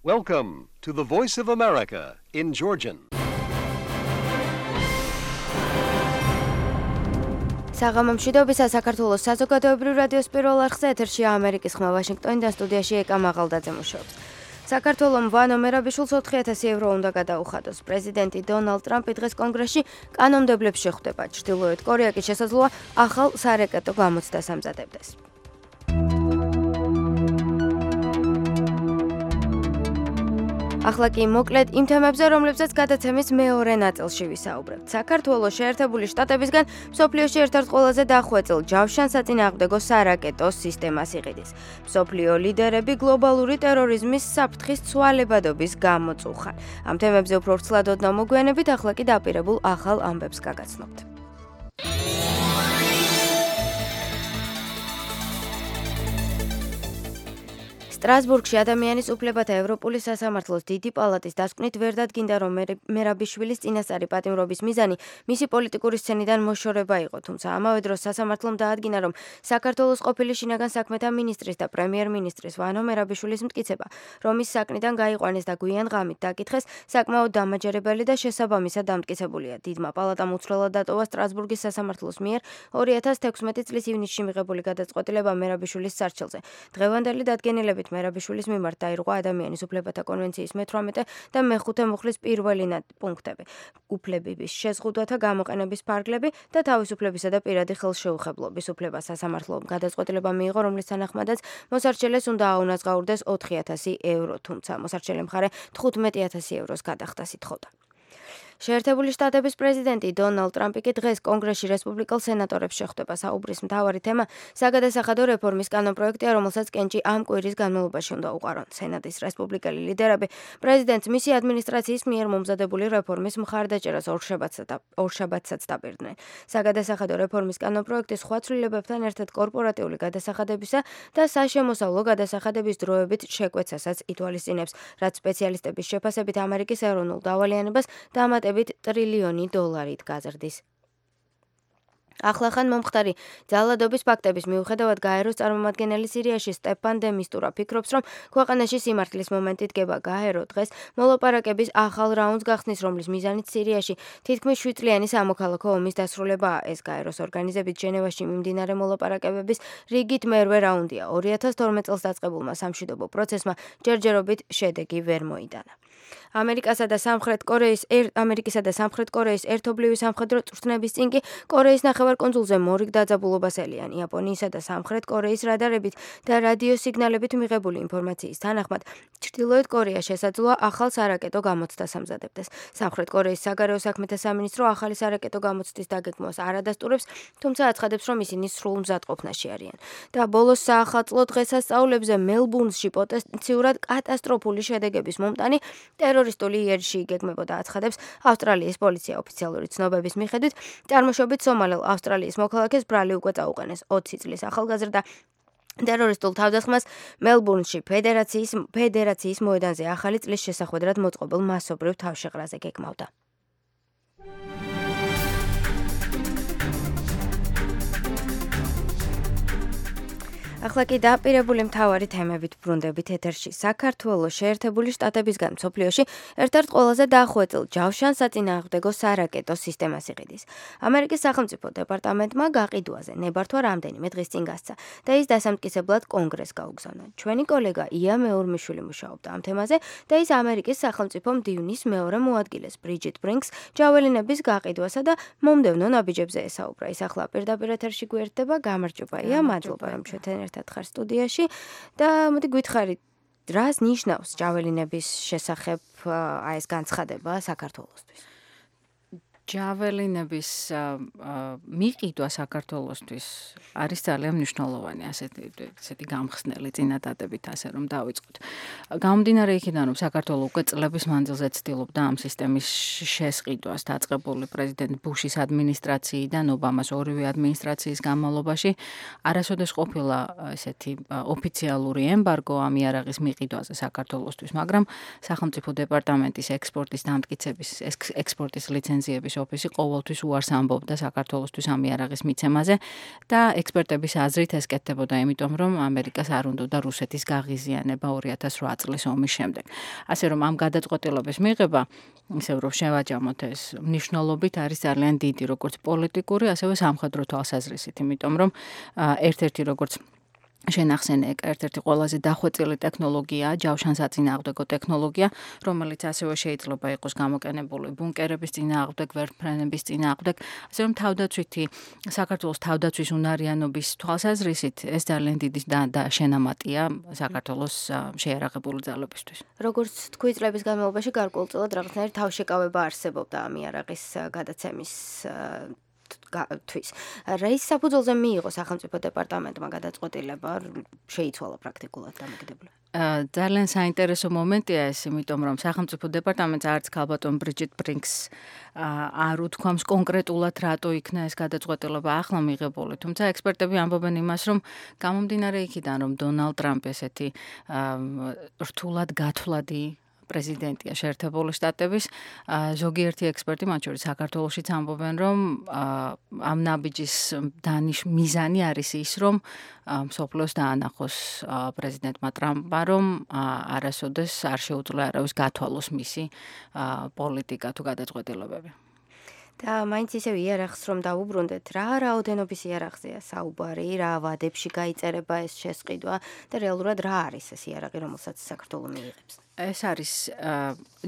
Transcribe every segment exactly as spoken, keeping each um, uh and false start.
Welcome to the Voice of America in Georgian. საღამომშვიდობისა საქართველოს საზოგადოებრივ რადიოს პირველ არხზე ეთერშია ამერიკის ხმა ვაშინგტონიდან სტუდიაში ეკა მაღალდაძე მუშაობს. საქართველოს ვანო მერაბიშვილს ოთხი ათასი ევრო უნდა გადაუხადოს. პრეზიდენტი დონალდ ტრამპი დღეს კონგრესში კანონმდებლებს შეხვდება. ჩრდილოეთ კორეა კი შესაძლოა ახალ სარაკეტო გამოცდას ამზადებდეს. ახლა კი მოკლედ იმ თემებზე, რომლებზეც გადაცემის მეორე ნაწილში ვისაუბრებთ. საქართველოს შეერთებული შტატებისგან მსოფლიოში ერთ-ერთ ყველაზე დახვეწილ ჯავშანსაწინააღმდეგო სარაკეტო სისტემას იყიდის. მსოფლიო ლიდერები გლობალური ტერორიზმის საფრთხის ცვალებადობის გამოწუხან. ამ თემებზე უფრო ვრცლად ოდნავ მოგვიანებით, ახლა კი დაპირებულ ახალ ამბებს გაგაცნობთ. სტრასბურგში ადამიანის უფლებათა ევროპული სასამართლოს დიდი პალატის დასკვნით ვერ დადგინდა, რომ მერაბიშვილის წინასწარი პატიმრობის მიზანი მისი პოლიტიკური სცენიდან მოშორება იყო, თუმცა ამავე დროს სასამართლომ დაადგინა, რომ საქართველოს ყოფილი შინაგან საქმეთა მინისტრის და პრემიერ-მინისტრის ვანო მერაბიშვილის მტკიცება, რომ ის საკნიდან გაიყვანეს და გვიან ღამით დაკითხეს, საკმაოდ დამაჯერებელი და შესაბამისად დამტკიცებულია. დიდმა პალატამ უცვლელად დატოვა სტრასბურგის სასამართლოს მიერ ორი ათას თექვსმეტი წლის ივნისში მიღებული გადაწყვეტილება მერაბიშვილის სარჩელზე. დღევანდელი დადგენილებით მერაბიშვილის მიმართ დაირღვა ადამიანის უფლებათა კონვენციის მეთვრამეტე და მეხუთე მუხლის პირველი პუნქტები, უფლებების შეზღუდვათა გამოყენების ფარგლები და თავისუფლებისა და პირადი ხელშეუხებლობის უფლება. სასამართლომ გადაწყვეტილება მიიღო, რომლის თანახმადაც მოსარჩელეს უნდა აუნაზღაურდეს ოთხი ათასი ევრო, თუმცა მოსარჩელე მხარე თხუთმეტი ათასი ევროს გადახდას ითხოვდა. შეერთებული შტატების პრეზიდენტი დონალდ ტრამპი კი დღეს კონგრესში რესპუბლიკელ სენატორებს შეხვდება. საუბრის მთავარი თემა საგადასახადო რეფორმის კანონპროექტია, რომელსაც კენჭი ამ კვირის განმავლობაში უნდა უყარონ. სენატის რესპუბლიკელი ლიდერები პრეზიდენტს მისი ადმინისტრაციის მიერ მომზადებული რეფორმის მხარდაჭერას ორშაბათსაც დაპირდნენ. საგადასახადო რეფორმის კანონპროექტი სხვა ცვლილებებთან ერთად კორპორატიული გადასახადებისა და საშემოსავლო გადასახადების დროებით შეკვეცასაც ითვალისწინებს, რაც სპეციალისტების შეფასებით ამერიკის ეროვნულ დავალიანებას დამატებით ტრილიონი დოლარით გაზრდის. ახლახან მომხდარი ძალადობის ფაქტების მიუხედავად გაეროს წარმომადგენელი სირიაში სტეფან დე მისტურა ფიქრობს, რომ ქვეყანაში სიმართლის მომენტი დგება. გაერო დღეს მოლაპარაკების ახალ რაუნდს გახსნის, რომლის მიზანიც სირიაში თითქმის შვიდწლიანი სამოქალაქო ომის დასრულებაა. ეს გაეროს ორგანიზებით ჟენევაში მიმდინარე მოლაპარაკებების რიგით მერვე რაუნდია. ორი ათას თორმეტ წელს დაწყებულმა სამშვიდობო პროცესმა ჯერჯერობით შედეგი ვერ მოიტანა. ამერიკასა და სამხრეთ კორეის ამერიკისა და სამხრეთ კორეის ერთობლივი სამხედრო წვრთნების წინ კი კორეის ნახევარკუნძულზე მორიგ დაძაბულობას ელიან. იაპონიისა და სამხრეთ კორეის რადარებით და რადიოსიგნალებით მიღებული ინფორმაციის თანახმად, ჩრდილოეთ კორეა შესაძლოა ახალ სარაკეტო გამოცდას ამზადებდეს. სამხრეთ კორეის საგარეო საქმეთა სამინისტრო ახალი სარაკეტო გამოცდის დაგეგმვას არ ადასტურებს, თუმცა აცხადებს, რომ ისინი სრულ მზადყოფნაში არიან. და ბოლოს საახალწლო დღესასწაულებზე მელბურნში პოტენციურად კატასტროფული შედეგების მომტანი ტერორისტული იერში იგეგმებოდა, აცხადებს ავსტრალიის პოლიცია. ოფიციალური ცნობების მიხედვით, წარმოშობით სომალელ ავსტრალიის მოქალაქეს ბრალი უკვე წაუყენეს. ოცი წლის ახალგაზრდა ტერორისტულ თავდასხმას მელბურნში ფედერაციის ფედერაციის მოედანზე ახალი წლის შესახვედრად მოწყობილ მასობრივ თავშეყრაზე გეგმავდა. ახლა კი დაპირებული მთავარი თემებით ბრუნდებით ეთერში. საქართველოს შეერთებული შტატებისგან მსოფლიოში ერთ-ერთ ყველაზე დახვეწილ ჯავშანსაწინააღმდეგო სარაკეტო სისტემას იყიდის. ამერიკის სახელმწიფო დეპარტამენტმა გაყიდვაზე ნებართვა რამდენიმე დღის წინ გასცა და ის დასამტკიცებლად კონგრესს გაუგზავნა. ჩვენი კოლეგა ია მეორმიშვილი მუშაობდა ამ თემაზე და ის ამერიკის სახელმწიფო მდივნის მეორე მოადგილეს ბრიჯიტ ბრინკს ჯაველინების გაყიდვასა და მომდევნო ნაბიჯებზე ესაუბრა. ის ახლა პირდაპირ ეთერში გვერდება. გამარჯობა ია, მადლობა რომ ჩვენთან ერთად ხარ სტუდიაში და მოდი გითხარით, რას ნიშნავს ჯაველინების შესახებ აი ეს განცხადება საქართველოსთვის? ჯაველინების მიყიდვა საქართველოსთვის არის ძალიან მნიშვნელოვანი, ასეთი ესეთი გამხსნელი წინადადებით, ასე რომ დავიწყოთ. გამომდინარე იქიდან, რომ საქართველო უკვე წლების მანძილზე ცდილობდა ამ სისტემის შესყიდვას, დაწყებული პრეზიდენტ ბუშის ადმინისტრაციიდან ობამას ორივე ადმინისტრაციის განმავლობაში, არასოდეს ყოფილა ესეთი ოფიციალური ემბარგო ამ იარაღის მიყიდვაზე საქართველოსთვის, მაგრამ სახელმწიფო დეპარტამენტის ექსპორტის დამტკიცების, ექსპორტის ლიცენზიების ოფისი ყოველთვის უარს ამბობდა საქართველოსთვის ამ იარაღის მიცემაზე და ექსპერტების აზრით ეს კეთდებოდა იმიტომ, რომ ამერიკას არ უნდოდა რუსეთის გაღიზიანება ორი ათას რვა წლის ომის შემდეგ. ასე რომ ამ გადაწყვეტილების მიღება, ისევ რომ შევაჯამოთ ეს მნიშვნელობით არის ძალიან დიდი, როგორც პოლიტიკური, ასევე სამხედრო თვალსაზრისით, იმიტომ რომ ერთ-ერთი როგორც შენ ახსენე, ერთ-ერთი ყველაზე დახვეწილი ტექნოლოგიაა ჯავშანსაწინააღმდეგო ტექნოლოგია, რომელიც ასევე შეიძლება იყოს გამოყენებული ბუნკერების წინააღმდეგ, ვერტმფრენების წინააღმდეგ, ასე რომ თავდაცვითი საქართველოს თავდაცვის უნარიანობის თვალსაზრისით ეს ძალიან დიდი და შენამატია საქართველოს შეიარაღებული ძალებისთვის. როგორც თქვი, წლების განმავლობაში გარკვეულწილად რაღაცნაირი თავშეკავება არსებობდა ამ იარაღის გადაცემის თვის. Რის საფუძველზე მიიღო სახელმწიფო დეპარტამენტმა გადაწყვეტილება, შეიცვალა პრაქტიკულად დამოკიდებული. ძალიან საინტერესო მომენტია ეს, იმიტომ რომ სახელმწიფო დეპარტამენტს არც ქალბატონ ბრიჯიტ ბრინკს არ უთქვამს კონკრეტულად რატო იქნა ეს გადაწყვეტილება ახლა მიღებული. თუმცა ექსპერტები ამბობენ იმას, რომ გამომდინარე იქიდან, რომ დონალდ ტრამპი ესეთი რთულად გათვლადი პრეზიდენტია შეერთებული შტატების, ზოგიერთი ექსპერტი, მათ შორის საქართველოშიც ამბობენ, რომ ამ ნაბიჯის დანიშ მიზანი არის ის, რომ მსოფლიოს დაანახოს პრეზიდენტმა ტრამპმა, რომ არასოდეს არ შეუძლია არავის გათვალოს მისი პოლიტიკა თუ გადაწყვეტილებები. და მაინც ისევ იარაღს რომ დაუბრუნდეთ, რა რაოდენობის იარაღზეა საუბარი, რა ვადებში გაიწერება ეს შესყიდვა და რეალურად რა არის ეს იარაღი, რომელსაც საქართველო მიიღებს? ეს არის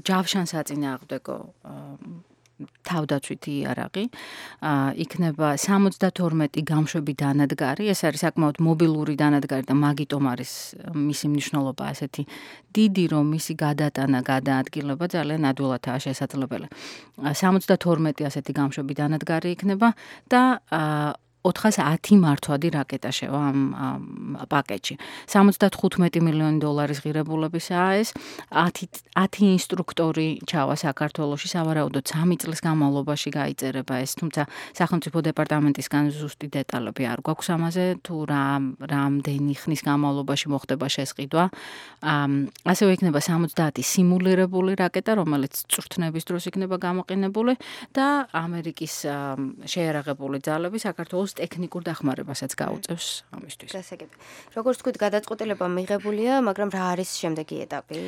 ჯავშანსაწინააღმდეგო თავდაცვითი იარაღი, იქნება სამოცდათორმეტი გამშვები დანადგარი, ეს არის საკმაოდ მობილური დანადგარი და მაგიტომ არის მისი მნიშვნელობა ასეთი დიდი, რომ მისი გადატანა, გადაადგილება ძალიან ადვილადაა შესაძლებელი. სამოცდათორმეტი ასეთი გამშვები დანადგარი იქნება და ოთხას ათი მართვადი რაკეტა შევა ამ პაკეტში. სამოცდათხუთმეტი მილიონი დოლარის ღირებულებისაა ეს, ათი ინსტრუქტორი ჩავა საქართველოში, სავარაუდოდ სამი წლის განმავლობაში გაიწერება ეს, თუმცა სახელმწიფო დეპარტამენტისგან ზუსტი დეტალები არ გვაქვს ამაზე, თუ რა რამდენი ხნის განმავლობაში მოხდება შესყიდვა. ასევე იქნება სამოცდაათი სიმულირებული რაკეტა, რომელიც წვრთნების დროს იქნება გამოყენებული და ამერიკის შეიარაღებული ძალები საქართველოს ტექნიკურ დახმარებასაც გაუწევს ამისთვის. გასაგები. როგორც თქვით, გადაწყვეტილება მიღებულია, მაგრამ რა არის შემდეგი ეტაპი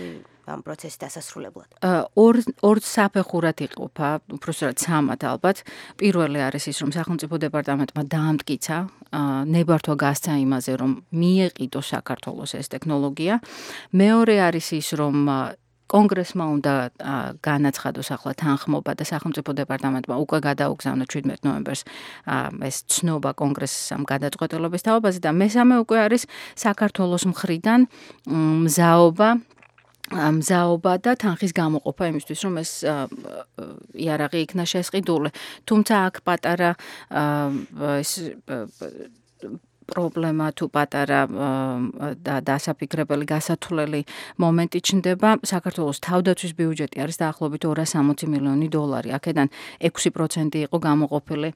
ამ პროცესის დასასრულებლად? ორ ორ საფეხურად იყოფა, უბრალოდ სამად ალბათ. პირველი არის ის, რომ სახელმწიფო დეპარტამენტმა დაამტკიცა, ნებართვა გასცა იმაზე, რომ მიეყიდოს საქართველოს ეს ტექნოლოგია. მეორე არის ის, რომ კონგრესმა უნდა განაცხადოს ახლა თანხმობა და სახელმწიფო დეპარტამენტმა უკვე გადაუგზავნა შვიდმეტ ნოემბერს ეს ცნობა კონგრესს ამ გადაწყვეტილების თაობაზე და მესამე უკვე არის საქართველოს მხრიდან მზაობა მზაობა და თანხის გამოყოფა იმისთვის, რომ ეს იარაღი იქნა შესყიდული. თუმცა აქ პატარა ეს პრობლემა თუ პატარა და დასაფიქრებელი გასათვლელი მომენტი ჩნდება. საქართველოს თავდაცვის ბიუჯეტი არის დაახლოებით ორას სამოცი მილიონი დოლარი. აქედან ექვსი პროცენტი იყო გამოყოფილი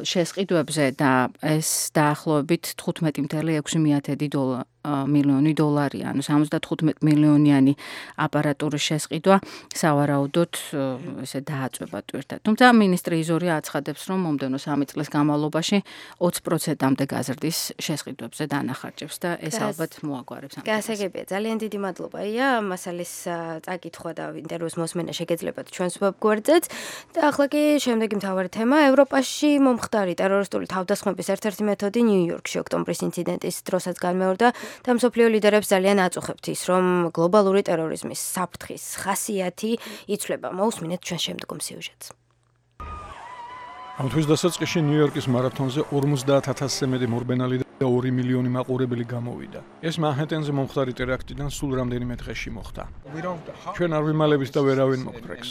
შესყიდვებზე და ეს დაახლოებით თხუთმეტი მცდელო ექვსი მიათედი მილიონი დოლარია, ანუ სამოცდათხუთმეტი მილიონიანი აპარატურის შესყიდვა სავარაუდოდ ესე დააწვება ტვირთად. თუმცა მინისტრი იზორია აცხადებს, რომ მომდევნო სამი წლის განმავლობაში ოცი პროცენტამდე გაზრდის შესყიდვებზე დანახარჯებს და ეს ალბათ მოაგვარებს ამ. გასაგებია, ძალიან დიდი მადლობა. ია, მასალის წაკითხვა და ინტერვიუს მოსმენა შეგეძლებათ ჩვენს ვებგვერდზეც. და ახლა კი შემდეგი მთავარი თემა, ევროპაში მომხდარი ტერორისტული თავდასხმების ერთ-ერთი მეთოდი ნიუ-იორკში ოქტომბრის ინციდენტის დროსაც განმეორდა და მსოფლიო ლიდერებს ძალიან აწუხებთ ის, რომ გლობალური ტერორიზმის საფრთხის ხასიათი იცვლება. მოусმინეთ ჩვენ შემდგომ სიუჟეტს. ამ თვის დასაწყისში ნიუ-იორკის მარათონზე ორმოცდაათ ათასზე მეტი მორბენალი და ორი მილიონი მაყურებელი გამოვიდა. ეს მანჰეტენზე მომხდარი ტერაქტიდან სულ რამდენიმე დღეში მოხდა. ჩვენ არ ვიმალებით და ვერავინ მოგდრეკს.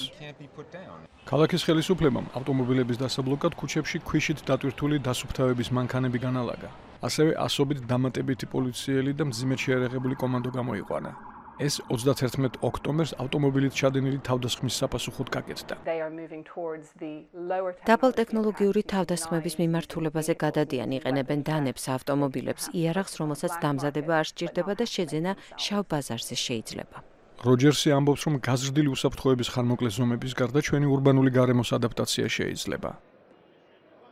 ქალაქის ხელისუფლებამ ავტომობილების დასაბლოკად ქუჩებში ქვიშით დატვირთული დასუფთავების მანქანები განალაგა. ასევე ასობით დამატებითი პოლიციელი და მძიმედ შეიარაღებული კომანდო გამოიყვანა. ეს ოცდაათერთმეტ ოქტომბერს ავტომობილით ჩადენილი თავდასხმის საპასუხოდ გაკეთდა. დაბალ ტექნოლოგიური თავდასხმების მიმართულებაზე გადადიან, იყენებენ დანებს, ავტომობილებს, იარაღს, რომელსაც დამზადება არ სჭირდება და შეძენა შავ ბაზარზე შეიძლება. როჯერსი ამბობს, რომ გაზრდილი უსაფრთხოების ხანმოკლე ზომების გარდა ჩვენი ურბანული გარემოს ადაპტაცია შეიძლება.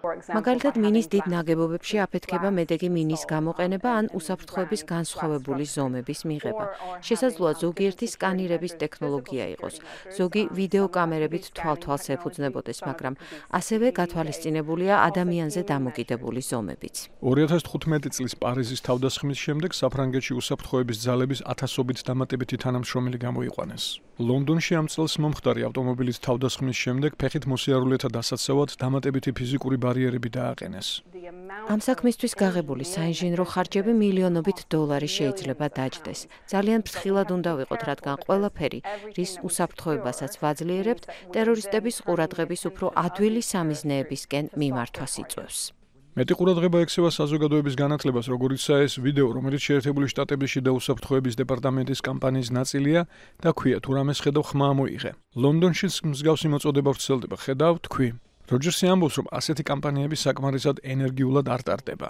მაგალითად, მინის დიდ ნაგებობებში აფეთქება მედეგი მინის გამოყენება ან უსაფრთხოების განსხვავებული ზომების მიღება. შესაძლოა ზოგიერთი სკანირების ტექნოლოგია იყოს, ზოგი ვიდეოკამერებით თვალ-თვალს ეფუძნებოდეს, მაგრამ ასევე გათვალისწინებულია ადამიანზე დამოკიდებული ზომებიც. ორი ათას თხუთმეტი წლის პარიზის თავდასხმის შემდეგ საფრანგეთში უსაფრთხოების ძალების ათასობით დამატებითი თანამშრომელი გამოიყვანეს. ლონდონში ამ წელს მომხდარი ავტომობილის თავდასხმის შემდეგ ფეხით მოსიარულეთა დასაცავად დამატებითი ფიზიკური ბარიერები დააყენეს. ამ საქმისთვის გაღებული საინჟინრო ხარჯები მილიონობით დოლარი შეიძლება დაჯდეს. ძალიან ფრთხილად უნდა ვიყოთ, რადგან ყველაფერი, რის უსაფრთხოებასაც ვაძლიერებთ, ტერორისტების ყურადღების უფრო ადვილი სამიზნეებისკენ მიმართვას იწვევს. მეტი ყურადღება ექცევა საზოგადოების განათლებას, როგორიცაა ეს ვიდეო, რომელიც შეერთებული შტატების შიდა უსაფრთხოების დეპარტამენტის კამპანიის ნაწილია და ქვია თუ რამეს ხედავ ხმა მოიღე. ლონდონშიც მსგავსი მოწოდება ვრცელდება, ხედავ, თქვი. როჯერსი ამბობს, რომ ასეთი კამპანიები საკმარისად ენერგიულად არ ტარდება.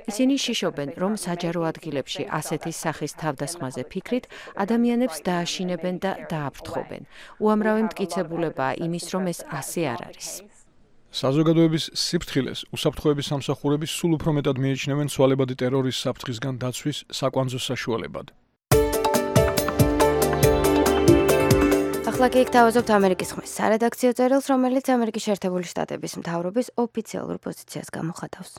ისინი შიშობენ, რომ საჯარო ადგილებში ასეთი სახის თავდასხმაზე ფიქრით ადამიანებს დააშინებენ და დააფრთხობენ. უამრავი მტკიცებულებაა იმის, რომ ეს ასე არ არის. საზოგადოების სიფრთხილეს უსაფრთხოების სამსახურები სულ უფრო მეტად მიიჩნევენ ცვალებადი ტერორის საფრთხისგან დაცვის საკვანძო საშუალებად. ახლა კი გთავაზობთ ამერიკის ხმის სარედაქციო წერილს, რომელიც ამერიკის შეერთებული შტატების მთავრობის ოფიციალურ პოზიციას გამოხატავს.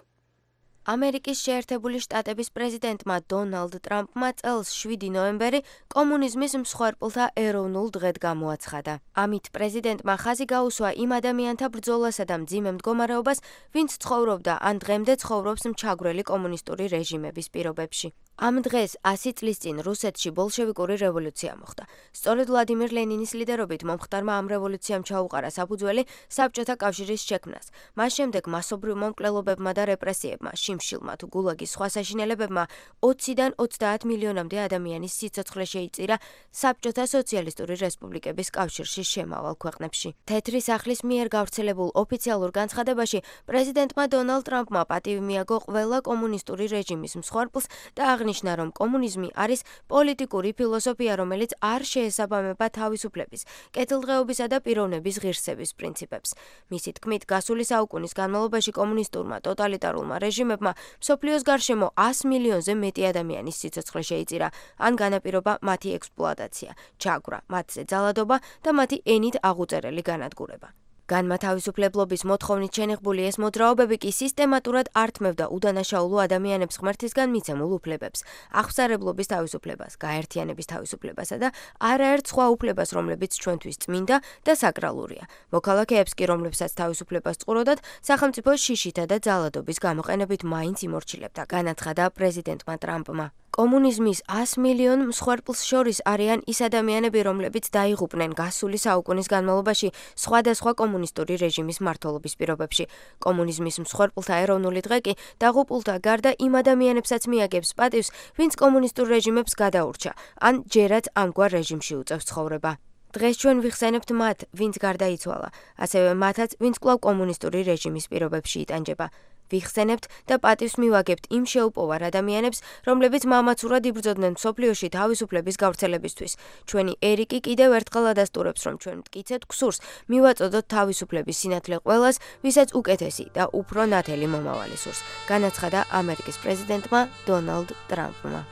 ამერიკის შეერთებული შტატების პრეზიდენტმა დონალდ ტრამპმა წელს შვიდი ნოემბერი კომუნიზმის მსხვერპლთა ეროვნულ დღედ გამოაცხადა. ამით პრეზიდენტმა ხაზი გაუსვა იმ ადამიანთა ბრძოლასა და მძიმე მდგომარეობას, ვინც ცხოვრობდა ან დღემდე ცხოვრობს მჩაგვრელი კომუნისტური რეჟიმების პირობებში. ამ დღეს ასი წლის წინ რუსეთში ბოლშევიკური რევოლუცია მოხდა. სწორედ ვლადიმერ ლენინის ლიდერობით მომხდარმა ამ რევოლუციამ ჩაუყარა საფუძველი საბჭოთა კავშირის შექმნას. მას შემდეგ მასობრივ მომკვლელობებმა და რეპრესიებმა, შიმშილმა თუ გულაგის სხვა საშინელებებმა ოციდან ოცდაათ მილიონამდე ადამიანის სიცოცხლე შეიწირა საბჭოთა სოციალისტური რესპუბლიკების კავშირში შემავალ ქვეყნებში. თეთრი სახლის მიერ გავრცელებულ ოფიციალურ განცხადებაში პრეზიდენტმა დონალდ ტრამპმა პატივი მიაგო ყველა კომუნისტური რეჟიმის მსხვერპლს და აღნიშნა, რომ კომუნიზმი არის პოლიტიკური ფილოსოფია, რომელიც არ შეესაბამება თავისუფლების, კეთილდღეობისა და პიროვნების ღირსების პრინციპებს. მისი თქმით, გასული საუკუნის განმავლობაში კომუნისტურმა ტოტალიტარულმა რეჟიმებმა მსოფლიოს გარშემო ას მილიონზე მეტი ადამიანის სიცოცხლე შეიწირა, ან განაპირობა მათი ექსპლუატაცია, ჩაგვრა, მათზე ძალადობა და მათი ენით აღუწერელი განადგურება. განმათავისუფლებლობის მოთხოვნით შენიღბული ეს მოძრაობები კი სისტემატურად ართმევდა უდანაშაულო ადამიანებს ღმერთისგან მიცემულ უფლებებს, აღსარებლობის თავისუფლებას, გაერთიანების თავისუფლებასა და არაერთ სხვა უფლებას, რომლებიც ჩვენთვის წმინდა და საკრალურია. მოქალაქეებს კი, რომლებსაც თავისუფლებას წყუროდათ, სახელმწიფო შიშითა და ძალადობის გამოყენებით მაინც იმორჩილებდა, განაცხადა პრეზიდენტმა ტრამპმა. კომუნიზმის ას მილიონ მსხვერპლს შორის არიან ის ადამიანები, რომლებიც დაიღუპნენ გასული საუკუნის განმავლობაში სხვადასხვა კომუნისტური რეჟიმის მმართველობის პირობებში. კომუნიზმის მსხვერპლთა ეროვნული დღე კი დაღუპულთა გარდა იმ ადამიანებსაც მიაგებს პატივს, ვინც კომუნისტურ რეჟიმებს გადაურჩა, ან ჯერაც ამგვარ რეჟიმში უწევს ცხოვრება. დღეს ჩვენ ვიხსენებთ მათ, ვინც გარდაიცვალა, ასევე მათაც, ვინც კვლავ კომუნისტური რეჟიმის პირობებში იტანჯება. ვიხსენებთ და პატივს მივაგებთ იმ შეუპოვარ ადამიანებს, რომლებიც მამაცურად იბრძოდნენ მსოფლიოში თავისუფლების გავრცელებისთვის. ჩვენი ერიკი კიდევ ერთხელ ადასტურებს, რომ ჩვენ მტკიცეთ ქსურს მივაწოდოთ თავისუფლების სინათლე ყველას, ვისაც უკეთესი და უფრო ნათელი მომავალი სურს, განაცხადა ამერიკის პრეზიდენტმა დონალდ ტრამპმა.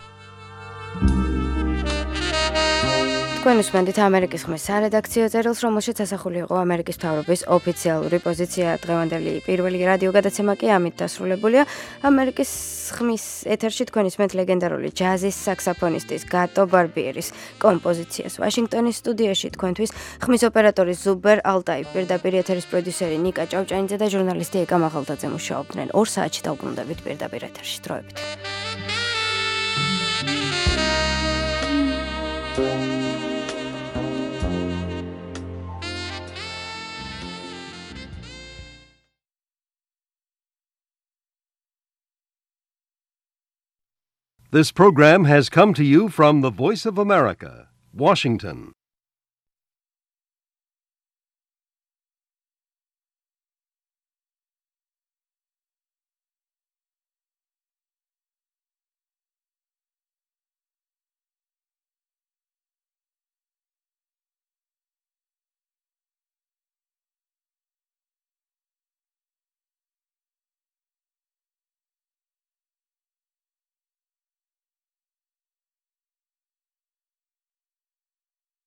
თქვენ უსმენთ ამერიკის ხმის სარედაქციო წერილს, რომელშიც ასახული იყო ამერიკის მთავრობის ოფიციალური პოზიცია. დღევანდელი პირველი რადიო გადაცემა კი ამით დასრულებულია. ამერიკის ხმის ეთერში თქვენ ისმენთ ლეგენდარული ჯაზის საქსაფონისტის გატო ბარბიერის კომპოზიციას. ვაშინგტონის სტუდიაში თქვენთვის ხმის ოპერატორი ზუბერ ალტაი, პირდაპირ ეთერის პროდიუსერი ნიკა ჭავჭანიძე და ჟურნალისტი ეკა მაღალდაძე მუშაობდნენ. ორ საათში დავბრუნდებით პირდაპირ ეთერში. დროებით. This program has come to you from the Voice of America, Washington.